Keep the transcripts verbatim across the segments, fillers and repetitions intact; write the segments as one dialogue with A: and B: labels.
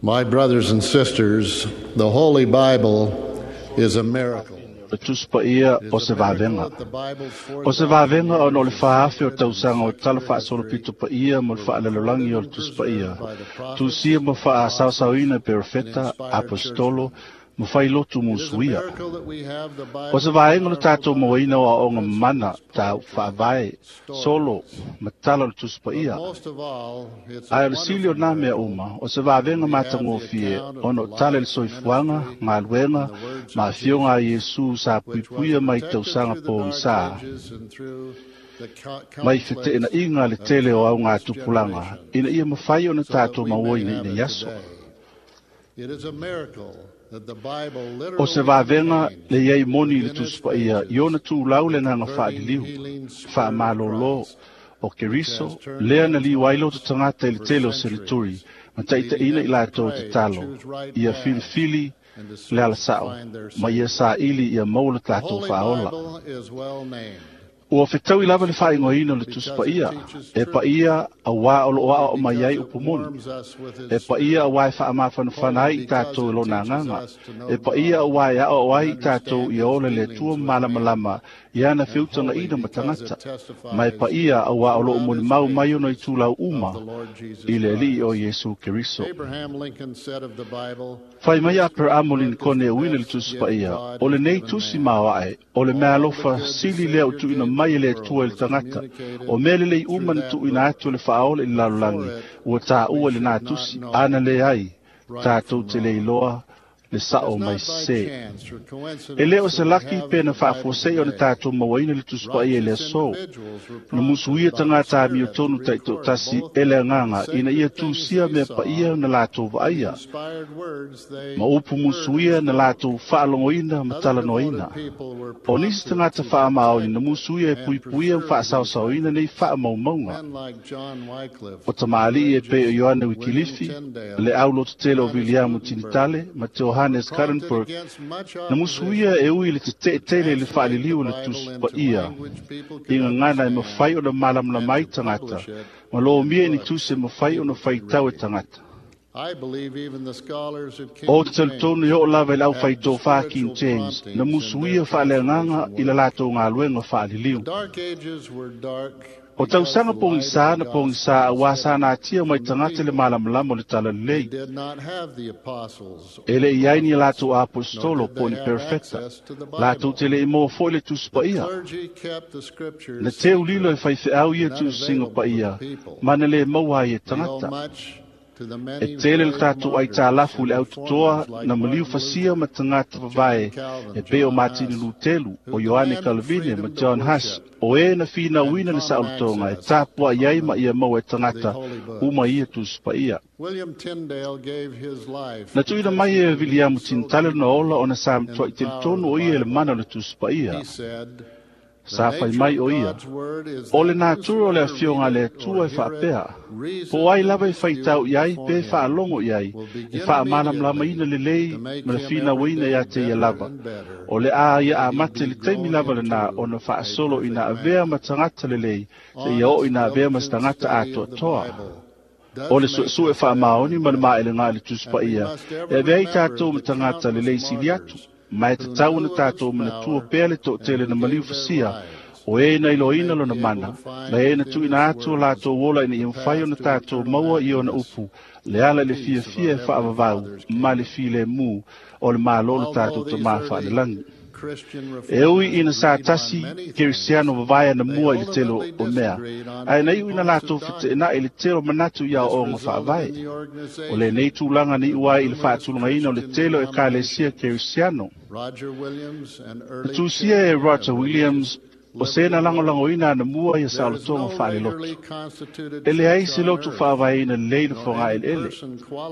A: My brothers and sisters, the Holy Bible is a miracle.
B: Le Tusi Paia o se vavega. O se vavega ona o le faafe o tausaga o tala faasolopito paia mo le faalalolagi o le Tusi Paia. Tusia ma faasaosaoina e perofeta, apostolo, ma failotu musuia. O se vaega o le tatou mauaina o aoga mamana, tau faavae, solo, ma tala o le Tusi Paia. Ae o le sili o nā mea uma, o se vavega matagofie ona o tala i le soifuaga, galuega, ma afioga a Iesu sa puipuia mai tausaga pogisa. Mai feteenaiga le tele o augatupulaga, ina ia mafai ona tatou mauaina ina i aso. O se vavega le iai moni i le Tusi Paia i ona tulau le agaga faaliliu, faamalōlō o Keriso, lea na liu ai loto tagata i le tele o selituri, ma taitaiina i latou tatalo, ia filifili le alasao, ma ia saili ia maua le tatou faaola. Ua fetaui lava le faaigoaina o le Tusi Paia, e paia auā o loo aoao mai ai upu moni, e paia auā e faamafanafana ai i tatou i lona agaga, e paia auā e aoao ai i tatou ia ola le Atua ma malamalama i ana feutagaina ma tagata, ma e paia auā o loo molimau mai ona itulau uma i le Alii o Iesu Keriso. Fai mai Aperamo Linkone e uina le Tusi Paia, o lenei tusi maoae, o le meaalofa sili lea o tuuina mai e le Atua i le tagata, o mea lelei uma na tuuina atu le faaola i le lalolagi, ua taua i lenā tusi, ana leai, tatou te le iloa le sao mai sesē. E lē o se laki pe na faafuasei ona tatou mauaina le Tusi Paia i le aso. Na musuia tagata amiotonu taitoatasi e le agaga ina ia tusia mea paia na latou vaaia, ma upu musuia na latou faalogoina ma talanoaina. O nisi tagata faamaoni na musuia e puipuia ma faasaosaoina nei faamaumauga. O tamalii e pei o Ioane Wikilifi, le aulototele o Viliamu Tinitale ma Johannes Gutenberg, na musuia e ui le teteetele i le faaliliu o le Tusi Paia, i gagana e mafai ona malamalama ai tagata, ma lomia i ni tusi e mafai ona faitau e tagata. O te talitonu i oo lava i le aufaitofā King James, na musuia faaleagaga i le latou galuega faaliliu. O tausaga pogisā na pogisā auā sa natia mai tagata le malamalama o le talalelei. E le i ai ni latou apostolo po o ni perofeta, latou te le i maua foi le Tusi Paia. Na teulilo e faifeau ia tuusiga paia, ma na le maua ai e tagata. E tele le tatou aitalafu i le autotoa na maliu fasia ma tagata vavae e pei o Matini Lutelu, o Ioane Kalvine ma John Huss, o e na finauina le saolotoga e tapuai ai ma ia maua e tagata uma ia Tusi Paia. Na tuuina mai e Viliamu Tinitale lona ola ona sa matuai telitonu o ia i le mana o le Tusi Paia. Sa fai mai o ia, o le natura o le afioga a le Atua e faapea, po o ai lava e faitau i ai pe faalogo i ai, e faamalamalamaina lelei ma le finauina ia te ia lava. O le a ia amata i le taimi lava lenā ona faasolo ina avea ma tagata lelei, seia oo ina avea ma se tagata atoatoa. O le suesue faamaoni ma le maelega i le Tusi Paia, e avea ai tatou ma tagata lelei sili atu, ma e tatau ona tatou manatua pea le toatele na maliu fasia, o e na iloaina lona mana, ma e na tuuina atu o latou ola ina ia mafai ona tatou maua i ona upu, le ala i le fiafia e faavavau ma le filemu o le Malo le tatou Tamā faalelagi. E ui ina sa tasi Kerisiano vavae ana mua i le tele o mea, ae na iu ina latou feteenai i le tele o manatu i aoaoga faavae. O lenei tulaga na iu ai i le faatulagaina o le tele o Ekalesia Kerisiano. Na tusia e Roger Williams o se na lagolagoina ana mua ia saolotoga faalelotu. E leai se lotu faavaeina lelei le fogaeleele,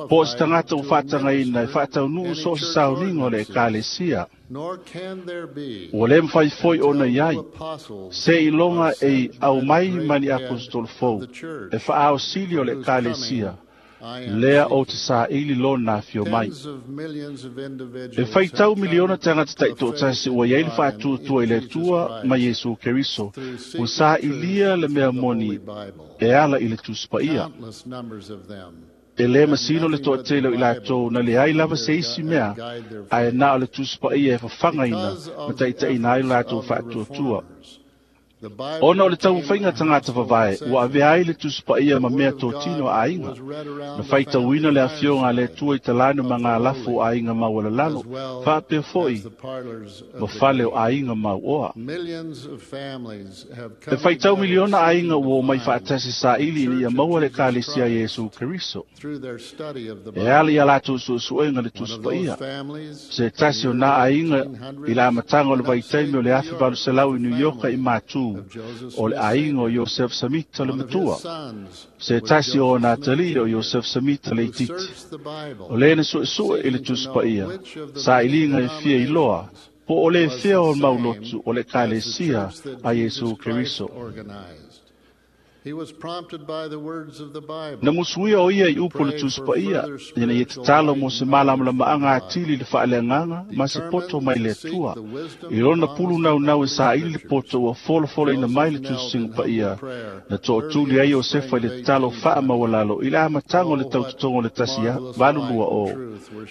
B: po o se tagata ua faatagaina e faataunuu so o se sauniga o le Ekalesia. Ua le mafai foi ona i ai, se iloga e aumai ma ni apostolo fou, e faaosili o le Ekalesia, lea o te saili lona afio mai. E faitau miliona tagata taitoatasi ua iai le faatuatua i le Atua ma Iesu Keriso, ua sailia le mea moni e ala i le Tusi Paia. E le masino le toatele o i latou na leai lava se isi mea, ae na o le Tusi Paia e fafagaina ma taitaiina ai lo latou faatuatua. Ona o le taumafaiga tagata vavae, ua avea ai le Tusi Paia ma mea totino a aiga. Na faitauina le afioga a le Atua i talane ma galafo o aiga maualalalo, faapea foi ma fale o aiga mauoa. E faitau miliona aiga ua omai faatasi saili ina ia maua le Ekalesia a Iesu Keriso. E ala ia latou suesuega le Tusi Paia. Se tasi o nā aiga i le amataga o le vaitaimi o le afe valu selau i New York i Matu, o le aiga o Iosef Samita le matua. Se tasi o ona atalii o Iosef Samita le itiiti. O le na suesue i le Tusi Paia, sailiga e fia iloa, po o le fea o maulotu o le Ekalesia a Iesu Keriso. Na musuia o ia i upu le Tusi Paia, ina ia tatalo mo se malamalamaaga atili i le faaleagaga ma se poto mai le Atua. I lona pulu naunau e saili le poto ua folafolaina mai le Tusiga Paia, na tootuli ai Iosefa i le tatalo faamaualalo i le amataga o le tautotoga o le tasi valu lua o.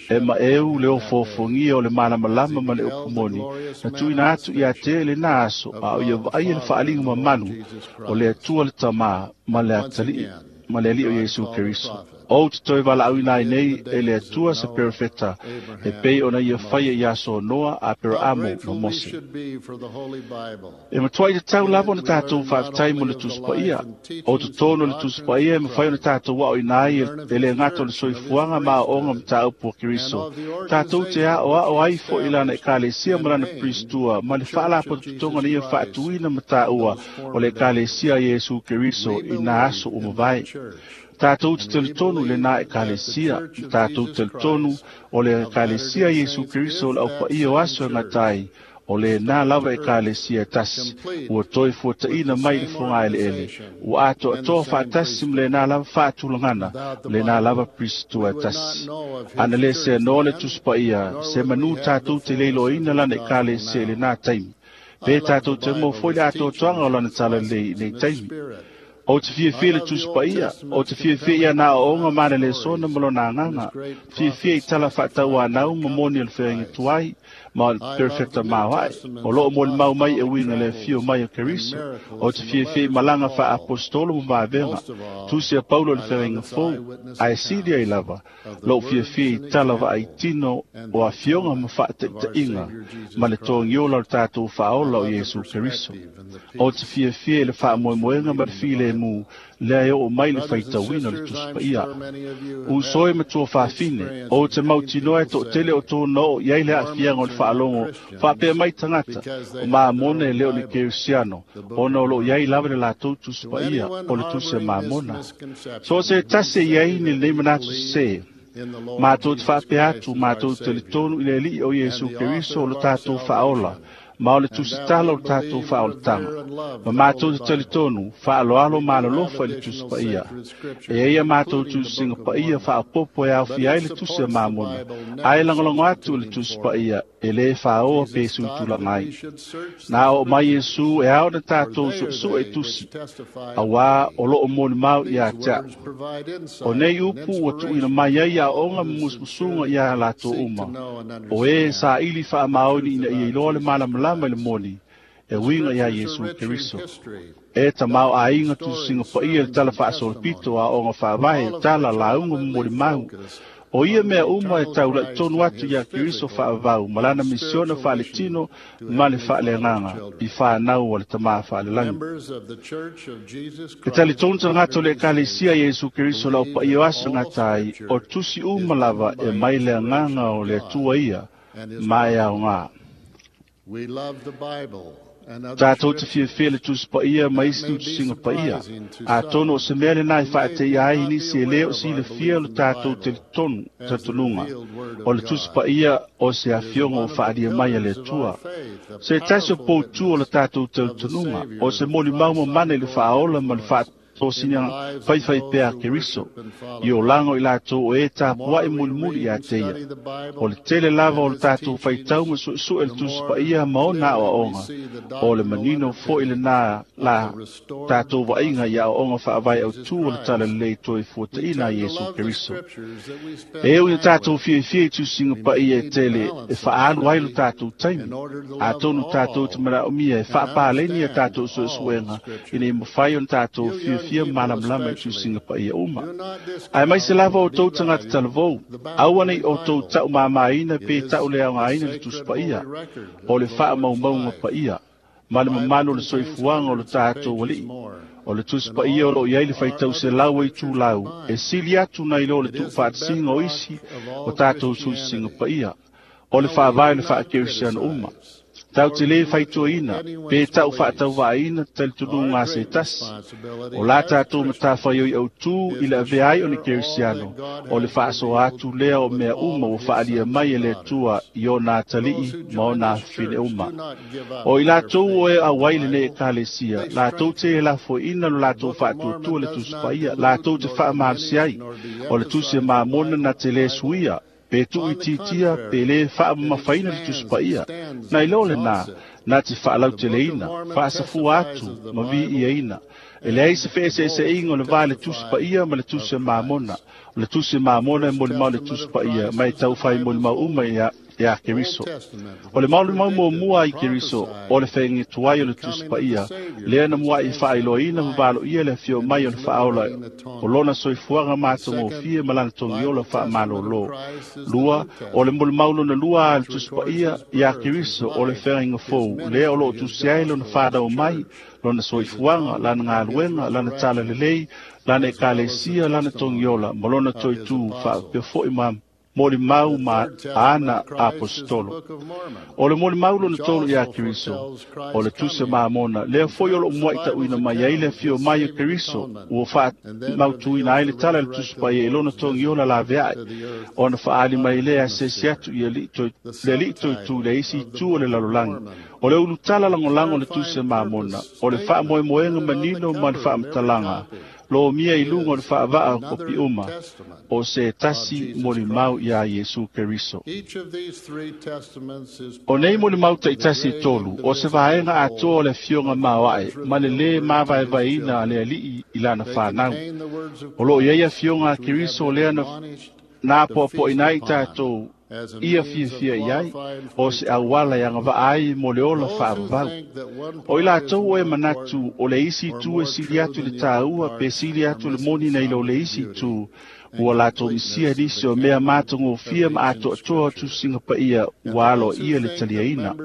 B: E maeu le ofoofogia o le malamalama ma le upu moni, na tuuina atu ia te lena aso, a o ia vaaia le faaliga mamalu o le Atua le Tama ma le atalii ma le Alii o Iesu Keriso. O te toe valaauina ai nei e le Atua se perofeta, e pei ona ia faia ia aso Noa, Aperaamo ma Mose. E matua i te tau lava ona tatou faafetai mo le Tusi Paia. O totonu o le Tusi Paia e mafai ona tatou aoina ai e le gata o le soifuaga ma aoaoga mataupu a Keriso. Tatou te aoao ai foi i lana Ekalesia ma lana Pristua ma le faalapotopotoga na ia faatuina ma taua o le Ekalesia a Iesu Keriso i nā aso ua mavae. Tatou te talitonu i lena Ekalesia, tatou te talitonu o le Ekalesia Iesu Keriso o le aupaia o aso e gatai, o lena lava Ekalesia e tasi, ua toe fuataina mai le fogaeleele, ua atoatoa faatasi ma lena lava faatulagana, lena lava Pristua e tasi. Ana le seanoa le Tusi Paia, se manu tatou te leiloaina lana Ekalesia i lena taimi. Pe tatou te mo foi le atoatoaga o lana talalelei i nei taimi. O te fiafia le Tusi Paia, o te fiafia ia nā aoaoga ma le lesona ma lona agaga, fiafia i tala faatauanau ma moni o le feaiga tuai, ma o le perofeta maoae, o loo molimau mai e uiga le afio mai o Keriso, o te fiafia i malaga faaapostolo ma vavega, tusi a Paulo le feaiga fou, ae sili ai lava, lou fiafia i tala vaaitino o afioga ma faataitaiga, ma le togiola o le tatou faaola o Iesu Keriso. O te fiafia i le faamoemoega ma le filemu, lea e oo mai le faitauina o le Tusi Paia. Uso e matua faafine, o te mautinoa e toatele o tōna oo i ai le aafiaga o le faalogo, faapea mai tagata, o Mamona e le o le Kerisiano, ona o loo i ai lava le latou Tusi Paia o le Tusi a Mamona. So se tasi e i ai ni lenei manatu sese, matou te faapea atu, matou te talitonu i le Alii o Iesu Keriso o le tatou faaola, ma o le tusitala o le tatou faaolataga. Ma matou te talitonu, faaloalo ma alolofa i le Tusi Paia. E ai a matou tusiga paia faapopo e aofia ai le Tusi a Mamona, ae lagolago atu i le Tusi Paia e lē fāoa pe suitulaga ai. Na oo mai Iesu e ao na tatou suesue i tusi, auā o loo molimau ia te a'u. O nei upu ua tuuina mai ai aoaoga ma musumusuga iā latou uma, o e saili faamaoni ina ia iloa le malamalama i le moni, e uiga iā Iesu Keriso. E tamao aiga tusiga paia le tala faasolopito aoaoga faavae tala lauga ma molimau. O ia mea uma e taula'i tonu atu iā Keriso faavavau ma lana misiona faaletino ma le faaleagaga i fanau o le Tamā faalelagi. E talitonu tagata o le Ekalesia Iesu Keriso le aupaia o aso e gata ai, o tusi uma lava e mai le agaga o le Atua ia ma e aogā. Tatou te fiafia le Tusi Paia ma isi tusiga paia. Atonu o se mea lenā e faateia ai i nisi e lē o silafia o le tatou talitonu talitonuga o le Tusi Paia o se afioga ua faalia mai a le Atua. Se tasi o poutu o le tatou talitonuga o se molimau mamana i le faaola ma le tosina faifai pea Keriso i o lago i latou o e tapuaʻi mulimuli iā te ia. O le tele lava o le tatou faitau ma suʻesuʻe le Tusi Paia ma ona aʻoaʻoga, o le manino foʻi lenā la tatou vaaiga i aʻoaʻoga faavae autū o le Talalelei toe fuataʻina a Iesu Keriso. E ui na tatou fiafia i tusiga paia e tele e faaalu ai lo tatou taimi, atonu tatou te manaʻomia e faapaleni a tatou suesuega ina ia mafai ona tatou fiafia malamalama i tusiga paia uma. Ae maise lava outou tagata talavou, aua nei outou taʻumāmāina pe taʻuleaogaina le Tusi Paia, o le faamaumauga paia ma le mamalu o le soifuaga o le tatou Alii. O le Tusi Paia o loo i ai le faitauselau ai tulau e sili atu nai lo le tuufaatasiga o isi o tatou tusisiga paia, o le faavae o le faakerisiano uma. Tau te lē faitoaina pe tau faatauvaaina talitonuga a se tasi. O la tatou matafaioi autū i le avea ai o ni kerisiano, o le faasoa atu lea o mea uma ua faalia mai e le Atua i ona atalii ma ona afafine uma. O i latou o e auai lenei ekalesia, latou te e lafoiina lo latou faatuatua le Tusi Paia, latou te faamalosi ai. O le Tusi e Mamona na te lē suia, pe tuuitiitia pe lē faamamafaina le Tusi Paia. Nai lo lenā, na te faalauteleina, faasafua atu ma viiaina. E leai se feeseeseaiga o le va le Tusi Paia ma le Tusi a Mamona. O le Tusi a Mamona e molimau le Tusi Paia, ma e taufai molimau uma ia iā Keriso. O le molimau muamua ai Keriso, o le feagatuai o le Tusi Paia, lea na muaʻi faailoaina ma valoia le afio mai o le Faaola o lona soifuaga matagofie ma lana togiola faamalōlō. Lua, o le molimau lona lua a le Tusi Paia iā Keriso, o le feagaiga fou, lea o loo tusi ai lona fanau mai, lona soifuaga, lana galuega, lana talalelei, lana ekalesia, lana togiola, ma lona toetū faapea foʻi ma molimau ma ana apostolo. O le molimau lona tolu iā Keriso, o le Tusi Mamona, lea foi o loo muaʻi taʻuina mai ai le afio mai o Keriso, ua faamautuina ai le tala le Tusi Paia i lona togiola laveaʻe, ona faaali mai lea asiasi atu i le alii toetū le isi itu o le lalolagi. O le ulutala lagolago o le Tusi Mamona, o le faamoemoega manino ma le faamatalaga, lo mia i luga o le faavaa o kopi uma, o se tasi molimau iā Iesu Keriso. O nei molimau taʻitasi e tolu, o se vaega atoa o le afioga maoaʻe ma le lē mavaevaeina a le Alii i lana fanau. O loo i ai afioga a Keriso lea na na apoapoʻina ai tatou ia fiafia i ai, o se auala e agavaa ai mo le ola faavavau. O i latou o e manatu o le isi itu e sili atu le tāua pe sili atu le moni nei lo le isi itu, ua latou misia nisi o mea matagofie ma atoatoa o tusiga paia ua aloaia le taliaina.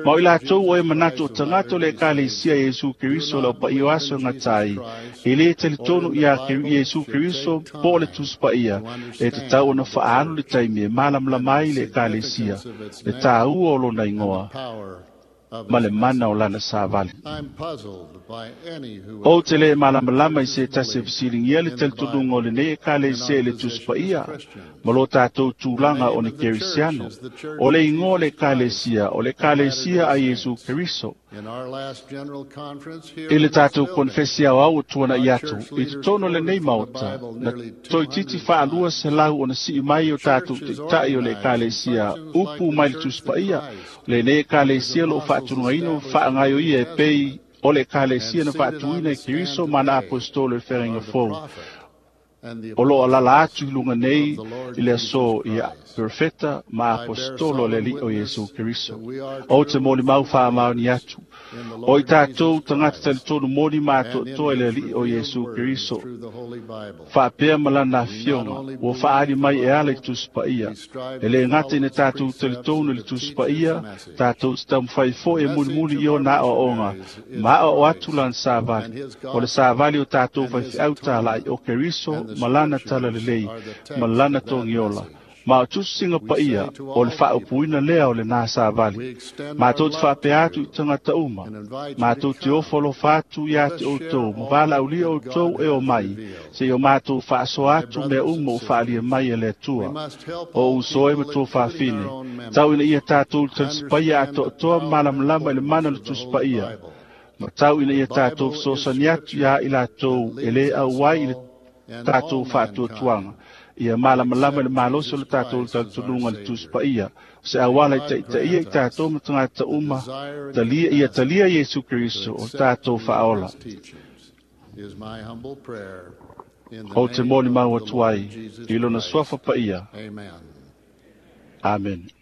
B: Ma o i latou o e manatu o tagata o le ekalesia Iesu Keriso le paia o aso e gata ai, e lē talitonu iā Iesu Keriso po o le Tusi Paia, e tatau ona faaalu le taimi e malamalama ai le ekalesia, le tāua o lona igoa ma le mana o lana savali. Ou te lē malamalama i se tasi e fesiligia le talitonuga o lenei ekalesia i le Tusi Paia ma lo tatou tulaga o ni kerisiano. O le igoa o le ekalesia, o le ekalesia a Iesu Keriso. I le tatou konefesi aoao ua tuanaʻi atu i totonu o lenei maota, na toeitiiti faalua selau ona sii mai o tatou taʻitaʻi o le ekalesia upu mai le Tusi Paia. Lenei ekalesia loo faatunugaina ma faagaioia e pei o le ekalesia na faatuina e Keriso ma ana apostolo i le feagaiga fou. O loo alala atu i luga nei i le aso ia perofeta ma apostolo le Alii o Iesu Keriso. Ou te molimau faamaoni atu, o i tatou tagata talitonu moni ma atoatoa i le Alii o Iesu Keriso, faapea ma lana afioga ua faaali mai e ala i Tusi Paia. E lē gata ina tatou talitonu i le Tusi Paia, tatou te taumafai foi e mulimuli i ona aoaoga ma aoao atu lana savali. O le savali o tatou faifeau talai o Keriso ma lana talalelei ma lana togiola. Ma o tusiga paia o le faaupuina lea o lenā savali. Matou te faapea atu i tagata uma, matou te ofo alofa atu iā te outou, ma valaaulia outou e o mai, seia o matou faasoa atu mea uma ua faalia mai e le Atua. O uso e ma tou fafine, tau ina ia tatou talisipaia atoatoa ma malamalama i le mana o le Tusi Paia, Ma tau ina ia tatou fesoasoani atu iā i latou e lē auai i le tatou faatuatuaga ia malamalama i le malosi o le tatou talitonuga le Tusi Paia o se auala i taitaia i tatou ma tagata uma talia ia talia Iesu Keriso o le tatou faaola. Ou te molimau atu ai i lona suafa paia. Amen.